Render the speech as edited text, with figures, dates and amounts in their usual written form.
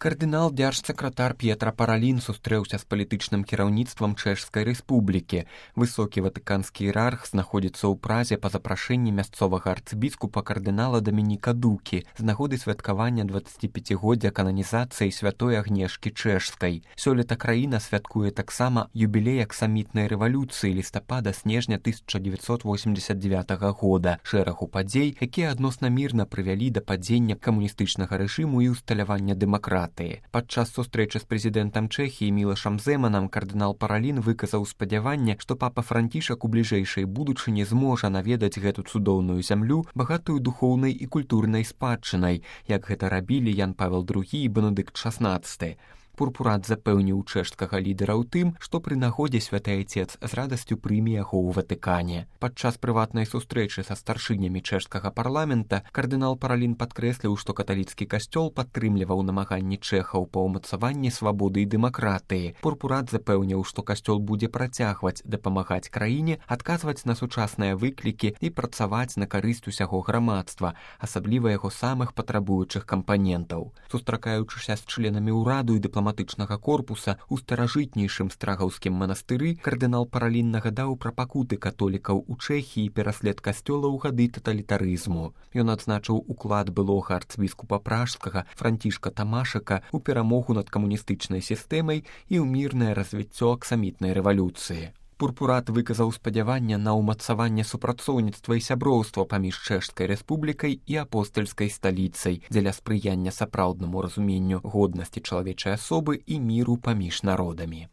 Кардынал дзяржсакратар П'етра Паралін сустрэўся з палітычным кіраўніцтвам Чэшскай рэспублікі. Высокі ватыканскі іерарх знаходзіцца ў Празе па запрашэнні мясцовага арцыбіскупа кардынала Дамініка Дукі з нагоды святкавання 25годдзя кананізацыі святой Агнешкі Чэшскай. Сёлета краіна святкуе таксама юбілей аксамітнай рэвалюцыі лістапада-снежня 1989 года, шэрагу падзей, якія адносна мірна прывялі да падзення камуністычнага рэжыму і ўсталявання дэмакратыі. Падчас сустрэчы з прэзідэнтам Чэхіі Мілашам Зэманам кардынал Паралін выказаў спадзяванне, што папа Францішак у бліжэйшай будучыні зможа наведаць гэту цудоўную зямлю, багатую духоўнай і культурнай спадчынай, як гэта рабілі Ян Павел II і Бенедыкт XVI. Пурпурат запэўніў чэшскага лідара ў тым, што пры нагодзе святы айцец з радасцю прыме яго ў Ватыкане. Падчас прыватнай сустрэчы са старшынямі чэшскага парламента кардынал Паралін падкрэсліў, што каталіцкі касцёл падтрымліваў намаганні чэхаў па ўмацаванні свабоды і дэмакратыі. Пурпурат запэўніў, што касцёл будзе працягваць дапамагаць краіне, адказваць на сучасныя выклікі і працаваць на карысць усяго грамадства, асабліва яго самых патрабуючых кампанентаў. Сустракаючыся з членамі ўраду і дыпламатычнага корпуса у старажытнейшым страгаўскім манастыры, кардынал Паралін нагадаў пра пакуты католікаў у Чэхіі і пераслед касцёла ў гады таталітарызму. Ён адзначыў уклад былога арцыбіскупа пражскага Францішка Тамашака ў перамогу над камуністычнай сістэмай і ў мірнае развіццё аксамітнай рэвалюцыі. Пурпурат выказаў спадзяванне на ўмацаванне супрацоўніцтва і сяброўства паміж Чэшскай рэспублікай і апостальскай сталіцай дзеля спрыяння сапраўднаму разуменню годнасці чалавечай асобы і міру паміж народамі.